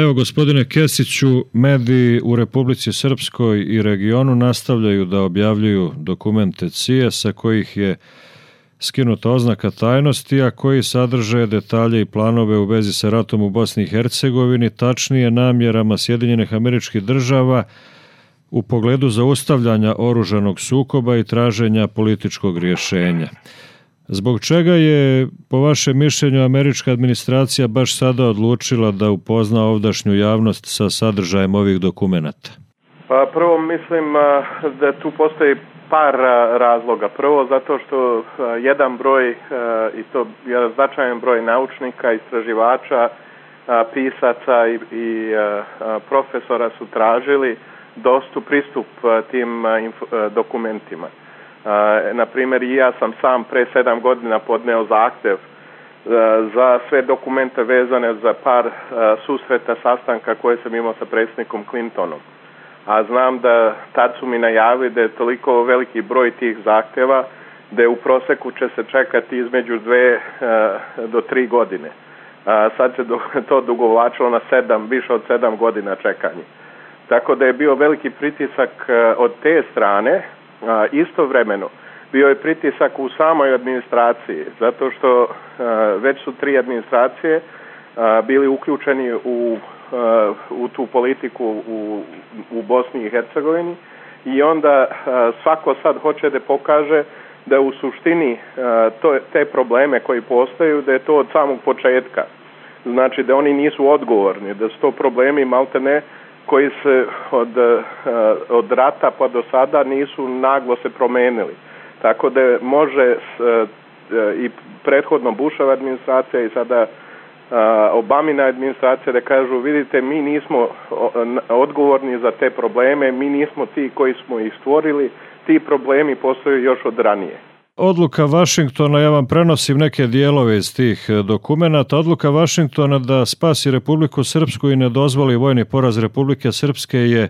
Evo, gospodine Kesiću, mediji u Republici Srpskoj i regionu nastavljaju da objavljuju dokumente CIA sa kojih je skinuta oznaka tajnosti, a koji sadrže detalje i planove u vezi sa ratom u Bosni i Hercegovini, tačnije namjerama Sjedinjenih Američkih Država u pogledu zaustavljanja oružanog sukoba i traženja političkog rješenja. Zbog čega je, po vašem mišljenju, američka administracija baš sada odlučila da upozna ovdašnju javnost sa sadržajem ovih dokumenata? Pa prvo mislim da tu postoji par razloga. Prvo zato što jedan broj, i to jedan značajan broj naučnika, istraživača, pisaca i profesora su tražili pristup tim dokumentima. Na primjer, i ja sam sam pre 7 godina podneo zahtjev za sve dokumente vezane za par susreta, sastanka koje sam imao sa predsjednikom Clintonom. A znam da tad su mi najavili da je toliko veliki broj tih zahtjeva da je u prosjeku će se čekati između 2 do 3 godine. Sad se to dugovlačilo na više od 7 godina čekanja. Tako da je bio veliki pritisak od te strane. Istovremeno bio je pritisak u samoj administraciji, zato što već su 3 administracije bili uključeni u tu politiku u Bosni i Hercegovini i onda svako sad hoće da pokaže da u suštini te probleme koji postaju, da je to od samog početka. Znači da oni nisu odgovorni, da su to problemi maltene koji se od rata pa do sada nisu naglo se promenili. Tako da može i prethodno Bushova administracija i sada Obamina administracija da kažu, vidite, mi nismo odgovorni za te probleme, mi nismo ti koji smo ih stvorili, ti problemi postoje još od ranije. Odluka Vašingtona, ja vam prenosim neke dijelove iz tih dokumenata, odluka Vašingtona da spasi Republiku Srpsku i ne dozvoli vojni poraz Republike Srpske je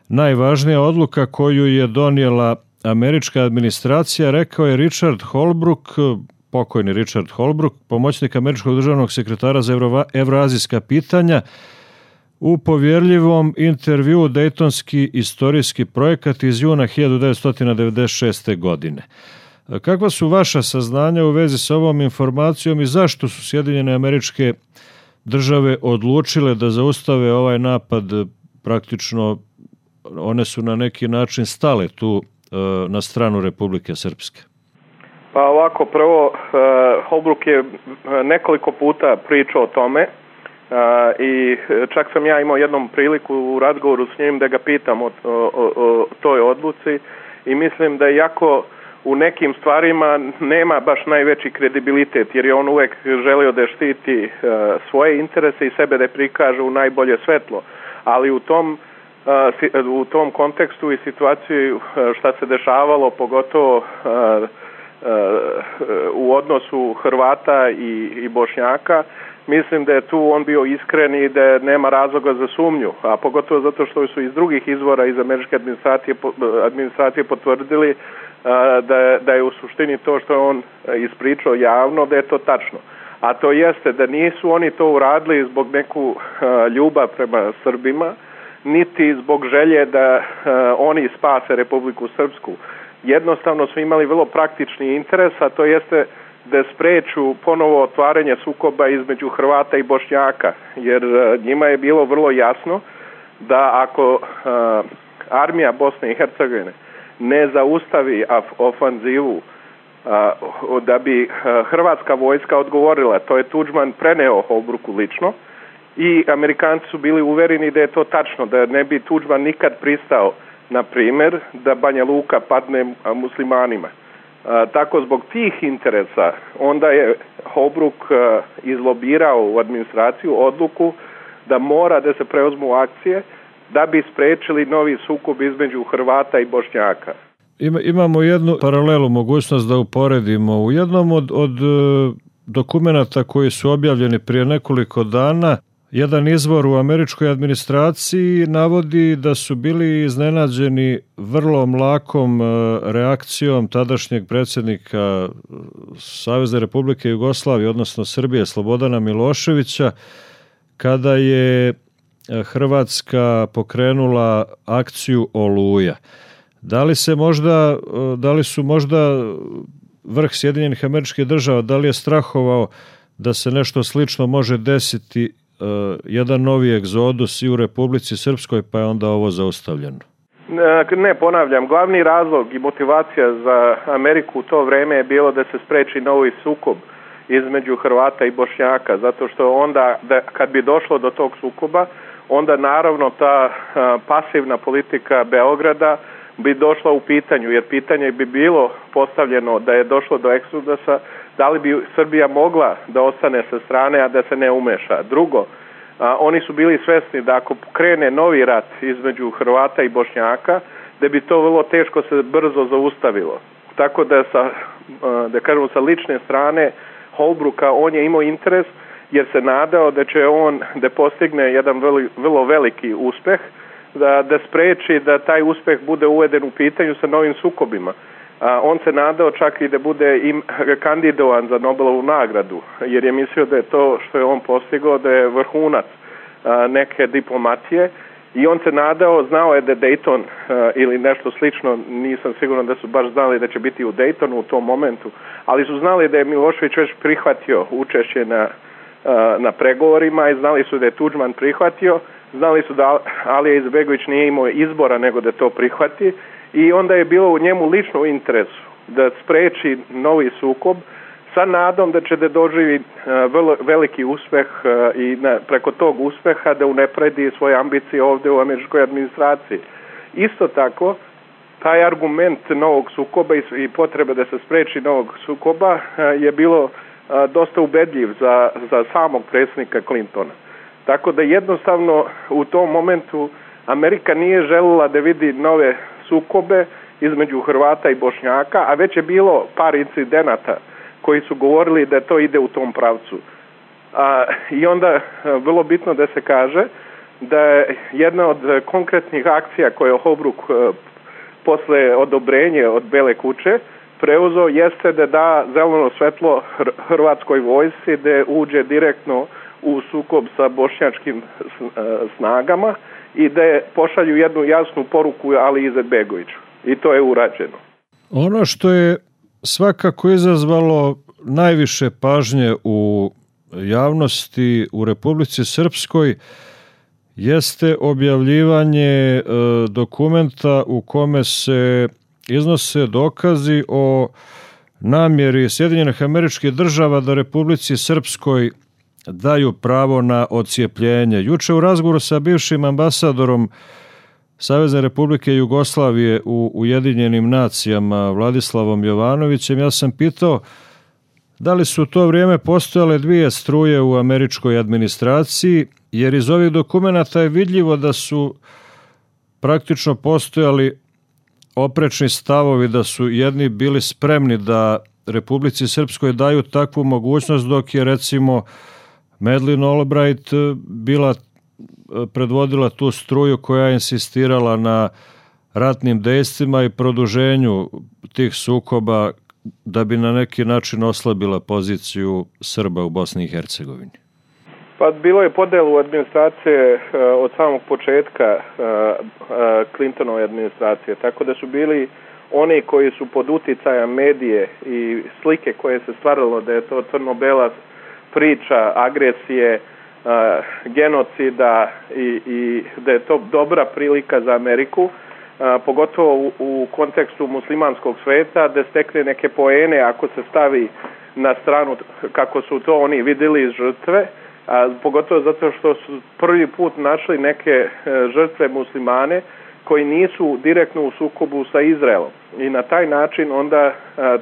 najvažnija odluka koju je donijela američka administracija, rekao je Richard Holbrooke, pokojni Richard Holbrooke, pomoćnik američkog državnog sekretara za evroazijska pitanja, u povjerljivom intervjuu Dejtonski istorijski projekat iz juna 1996. godine. Kakva su vaša saznanja u vezi sa ovom informacijom i zašto su Sjedinjene Američke Države odlučile da zaustave ovaj napad? Praktično one su na neki način stale tu na stranu Republike Srpske. Pa ovako, prvo, Holbrooke je nekoliko puta pričao o tome i čak sam ja imao jednom priliku u razgovoru s njim da ga pitam o toj odluci i mislim da jako u nekim stvarima nema baš najveći kredibilitet, jer je on uvijek želio da štiti svoje interese i sebe da prikaže u najbolje svetlo. Ali u tom kontekstu i situaciji šta se dešavalo, pogotovo u odnosu Hrvata i Bošnjaka, mislim da je tu on bio iskren i da nema razloga za sumnju, a pogotovo zato što su iz drugih izvora iz američke administracije potvrdili da je u suštini to što je on ispričao javno, da je to tačno. A to jeste da nisu oni to uradili zbog neku ljubav prema Srbima, niti zbog želje da oni spase Republiku Srpsku. Jednostavno su imali vrlo praktični interes, a to jeste da spreču ponovo otvaranje sukoba između Hrvata i Bošnjaka, jer njima je bilo vrlo jasno da ako armija Bosne i Hercegovine ne zaustavi ofanzivu, da bi hrvatska vojska odgovorila. To je Tuđman preneo Holbrooku lično i Amerikanci su bili uvereni da je to tačno, da ne bi Tuđman nikad pristao, na primjer, da Banja Luka padne muslimanima. Tako zbog tih interesa onda je Holbrooke izlobirao u administraciju odluku da mora da se preuzmu akcije da bi sprečili novi sukob između Hrvata i Bošnjaka. Imamo jednu paralelu, mogućnost da uporedimo. U jednom od dokumenata koji su objavljeni prije nekoliko dana, jedan izvor u američkoj administraciji navodi da su bili iznenađeni vrlo mlakom reakcijom tadašnjeg predsjednika Savezne Republike Jugoslavije, odnosno Srbije, Slobodana Miloševića, kada je Hrvatska pokrenula akciju Oluja. Da li su možda vrh Sjedinjenih Američkih Država, da li je strahovao da se nešto slično može desiti, jedan novi egzodus i u Republici Srpskoj, pa je onda ovo zaustavljeno? Ne, ponavljam, glavni razlog i motivacija za Ameriku u to vreme je bilo da se spreči novi sukob između Hrvata i Bošnjaka, zato što onda, kad bi došlo do tog sukoba, onda naravno ta pasivna politika Beograda bi došla u pitanju, jer pitanje bi bilo postavljeno da je došlo do eksodusa, da li bi Srbija mogla da ostane sa strane, a da se ne umeša. Drugo, oni su bili svesni da ako krene novi rat između Hrvata i Bošnjaka, da bi to vrlo teško se brzo zaustavilo. Tako da sa lične strane Holbrooka on je imao interes, jer se nadao da će on da postigne jedan vrlo veliki uspeh, da spreči da taj uspeh bude uveden u pitanju sa novim sukobima. On se nadao čak i da bude kandidovan za Nobelovu nagradu, jer je mislio da je to što je on postigao da je vrhunac neke diplomatije, i on se nadao, znao je da Dayton ili nešto slično, nisam siguran da su baš znali da će biti u Daytonu u tom momentu, ali su znali da je Milošević već prihvatio učešće na pregovorima i znali su da je Tuđman prihvatio, znali su da Alija Izetbegović nije imao izbora nego da to prihvati, i onda je bilo u njemu lično u interesu da spreči novi sukob sa nadom da će da doživi veliki uspeh i preko tog uspeha da unapredi svoje ambicije ovdje u američkoj administraciji. Isto tako, taj argument novog sukoba i potrebe da se spreči novog sukoba je bilo dosta ubedljiv za samog predsjednika Clintona. Tako da jednostavno u tom momentu Amerika nije željela da vidi nove sukobe između Hrvata i Bošnjaka, a već je bilo par incidenata koji su govorili da to ide u tom pravcu. I onda vrlo bitno da se kaže da je jedna od konkretnih akcija koje je Holbrook posle odobrenja od Bele kuće preuzeo jeste da da zeleno svetlo hrvatskoj vojsci da uđe direktno u sukob sa bošnjačkim snagama i da pošalju jednu jasnu poruku Aliji Izetbegoviću. I to je urađeno. Ono što je svakako izazvalo najviše pažnje u javnosti u Republici Srpskoj jeste objavljivanje dokumenta u kome se iznose dokazi o namjeri Sjedinjenih Američkih Država da Republici Srpskoj daju pravo na odcijepljenje. Juče u razgovoru sa bivšim ambasadorom Savezne Republike Jugoslavije u Ujedinjenim nacijama Vladislavom Jovanovićem, ja sam pitao da li su u to vrijeme postojale dvije struje u američkoj administraciji, jer iz ovih dokumenata je vidljivo da su praktično postojali oprečni stavovi, da su jedni bili spremni da Republici Srpskoj daju takvu mogućnost, dok je recimo Madeleine Albright predvodila tu struju koja je insistirala na ratnim dejstvima i produženju tih sukoba da bi na neki način oslabila poziciju Srba u Bosni i Hercegovini. Pa bilo je podelu administracije od samog početka Clintonove administracije, tako da su bili oni koji su pod uticajem medije i slike koje se stvaralo da je to crno-bela priča agresije, genocida i da je to dobra prilika za Ameriku, pogotovo u kontekstu muslimanskog sveta, da stekne neke poene ako se stavi na stranu kako su to oni vidjeli iz žrtve, pogotovo zato što su prvi put našli neke žrtve muslimane koji nisu direktno u sukobu sa Izraelom. I na taj način onda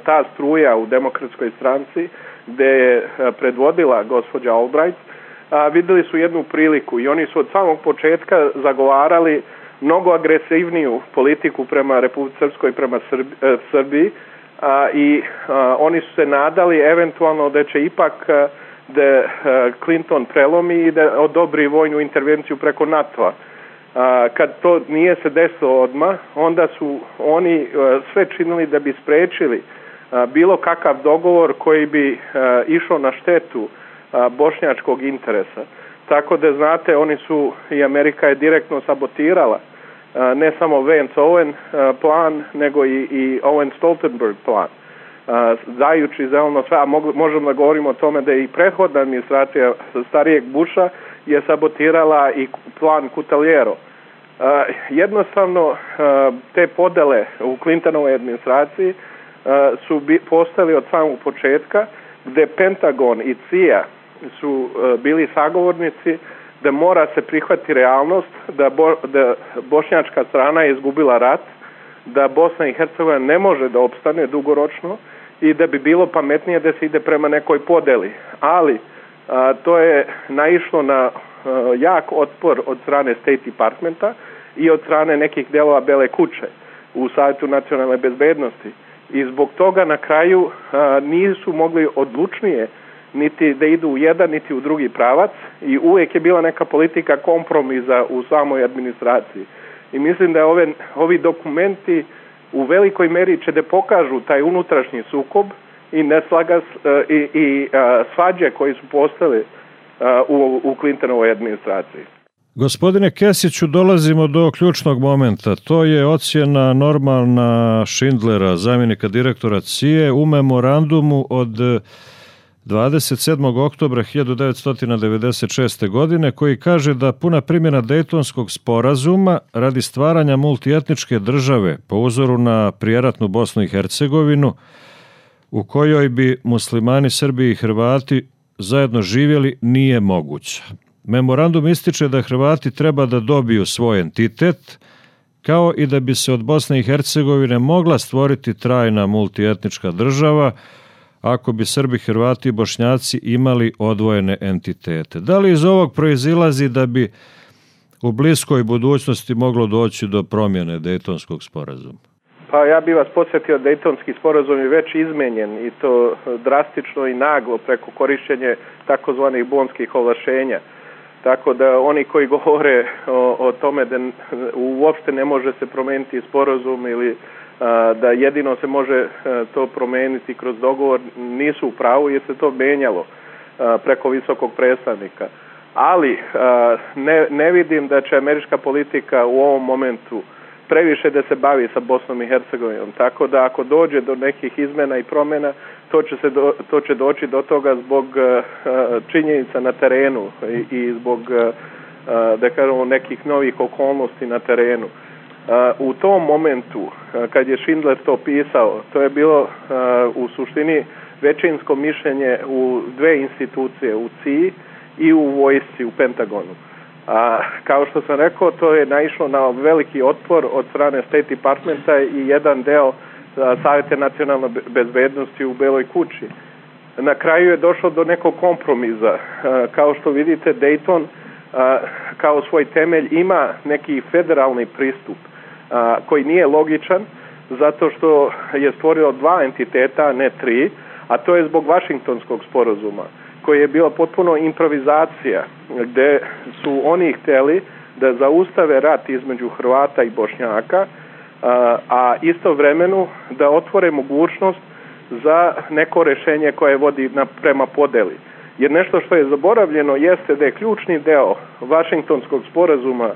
ta struja u Demokratskoj stranci gdje je predvodila gospođa Albright, vidjeli su jednu priliku i oni su od samog početka zagovarali mnogo agresivniju politiku prema Republici Srpskoj, prema Srbiji, i oni su se nadali eventualno da će ipak da Clinton prelomi i da odobri vojnu intervenciju preko NATO-a. Kad to nije se desilo odmah, onda su oni sve činili da bi sprečili bilo kakav dogovor koji bi išao na štetu bošnjačkog interesa. Tako da znate, oni su, i Amerika je direktno sabotirala ne samo Vance-Owen plan, nego i Owen-Stoltenberg plan. Dajući zeleno sve, a možemo da govorimo o tome da i prethodna administracija starijeg Busha je sabotirala i plan Cutaliero. Jednostavno, te podele u Clintonovoj administraciji su postali od samog početka, gde Pentagon i CIA su bili sagovornici da mora se prihvati realnost da bošnjačka strana je izgubila rat, da Bosna i Hercegovina ne može da opstane dugoročno i da bi bilo pametnije da se ide prema nekoj podeli. Ali to je naišlo na jak otpor od strane State Departmenta i od strane nekih delova Bele kuće u Savjetu nacionalne bezbednosti. I zbog toga na kraju nisu mogli odlučnije niti da idu u jedan, niti u drugi pravac i uvijek je bila neka politika kompromisa u samoj administraciji. I mislim da ovi dokumenti u velikoj meri će da pokažu taj unutrašnji sukob i svađe koji su postale u Clintonovoj administraciji. Gospodine Kesiću, dolazimo do ključnog momenta. To je ocjena Normana Schindlera, zamjenika direktora CIA, u memorandumu od 27. oktobra 1996. godine, koji kaže da puna primjena Dejtonskog sporazuma radi stvaranja multietničke države po uzoru na prijeratnu Bosnu i Hercegovinu, u kojoj bi muslimani, Srbi i Hrvati zajedno živjeli, nije moguća. Memorandum ističe da Hrvati treba da dobiju svoj entitet, kao i da bi se od Bosne i Hercegovine mogla stvoriti trajna multietnička država ako bi Srbi, Hrvati i Bošnjaci imali odvojene entitete. Da li iz ovog proizilazi da bi u bliskoj budućnosti moglo doći do promjene Dejtonskog sporazuma? Pa ja bih vas podsjetio, Dejtonski sporazum je već izmenjen i to drastično i naglo preko korišćenja takozvanih bonskih ovlašenja. Tako da oni koji govore o tome da uopšte ne može se promijeniti sporazum ili da jedino se može to promijeniti kroz dogovor, nisu u pravu jer se to menjalo preko visokog predstavnika. Ali ne vidim da će američka politika u ovom momentu previše da se bavi sa Bosnom i Hercegovinom. Tako da ako dođe do nekih izmjena i promjena, to će doći do toga zbog činjenica na terenu i zbog da kažemo nekih novih okolnosti na terenu. U tom momentu, kad je Schindler to pisao, to je bilo u suštini većinsko mišljenje u dve institucije, u CIA i u vojsci, u Pentagonu. Kao što sam rekao, to je naišlo na veliki otpor od strane State Departmenta i jedan deo Savjeta nacionalne bezbednosti u Beloj kući. Na kraju je došlo do nekog kompromisa. Kao što vidite, Dayton kao svoj temelj ima neki federalni pristup koji nije logičan zato što je stvorio dva entiteta, a ne tri, a to je zbog Vašingtonskog sporazuma, koji je bila potpuno improvizacija, gde su oni htjeli da zaustave rat između Hrvata i Bošnjaka, a istovremeno da otvore mogućnost za neko rješenje koje vodi prema podeli. Jer nešto što je zaboravljeno jeste da je ključni deo Vašingtonskog sporazuma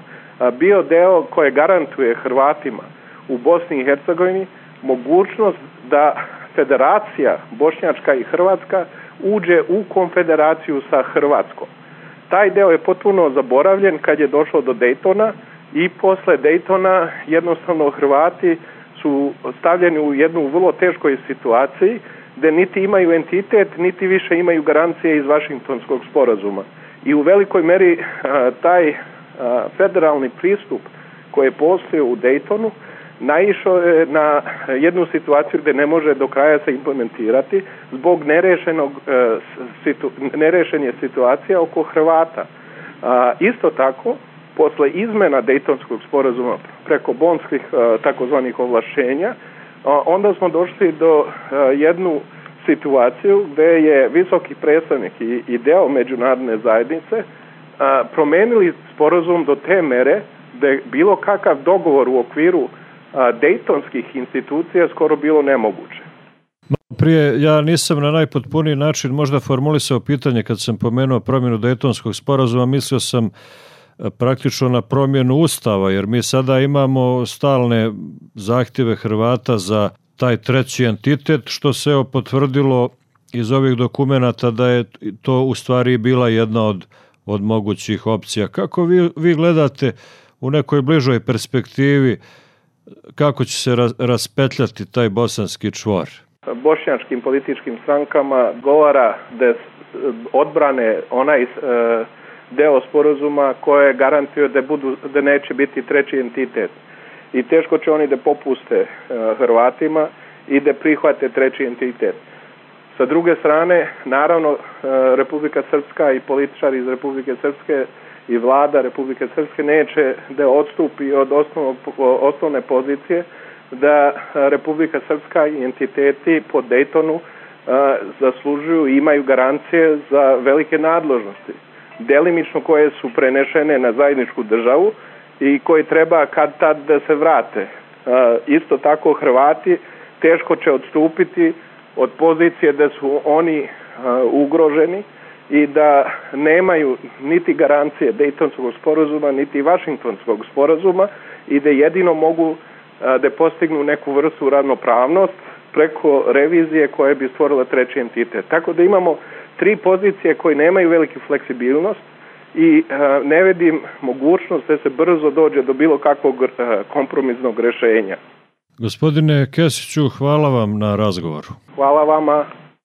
bio deo koje garantuje Hrvatima u Bosni i Hercegovini mogućnost da federacija Bošnjačka i Hrvatska uđe u konfederaciju sa Hrvatskom. Taj deo je potpuno zaboravljen kad je došlo do Daytona i posle Daytona jednostavno Hrvati su stavljeni u jednu vrlo teškoj situaciji gde niti imaju entitet, niti više imaju garancije iz Vašingtonskog sporazuma. I u velikoj meri taj federalni pristup koji je postojao u Daytonu naišao je na jednu situaciju gde ne može do kraja se implementirati zbog nerešenje situacija oko Hrvata. Isto tako, posle izmena Dejtonskog sporazuma preko bonskih takozvanih ovlašenja, onda smo došli do jednu situaciju gde je visoki predstavnik i deo međunarodne zajednice promenili sporazum do te mere da je bilo kakav dogovor u okviru Dejtonskih institucija skoro bilo nemoguće. Prije ja nisam na najpotpuniji način možda formulisao pitanje kad sam pomenuo promjenu Dejtonskog sporazuma, mislio sam praktično na promjenu Ustava, jer mi sada imamo stalne zahtjeve Hrvata za taj treći entitet, što se potvrdilo iz ovih dokumenata da je to u stvari bila jedna od mogućih opcija. Kako vi gledate u nekoj bližoj perspektivi kako će se raspetljati taj bosanski čvor? Bošnjačkim političkim strankama govara da odbrane onaj deo sporazuma koje garantuje da neće biti treći entitet. I teško će oni da popuste Hrvatima i da prihvate treći entitet. Sa druge strane, naravno, Republika Srpska i političari iz Republike Srpske i vlada Republike Srpske neće da odstupi od osnovne pozicije da Republika Srpska i entiteti po Dejtonu zaslužuju i imaju garancije za velike nadležnosti, delimično koje su prenešene na zajedničku državu i koji treba kad tad da se vrate. Isto tako Hrvati teško će odstupiti od pozicije da su oni ugroženi i da nemaju niti garancije Dejtonskog sporazuma, niti Vašingtonskog sporazuma i da jedino mogu da postignu neku vrstu ravnopravnost preko revizije koja bi stvorila treći entitet. Tako da imamo tri pozicije koje nemaju veliki fleksibilnost i ne vidim mogućnost da se brzo dođe do bilo kakvog kompromisnog rešenja. Gospodine Kesiću, hvala vam na razgovoru. Hvala vama.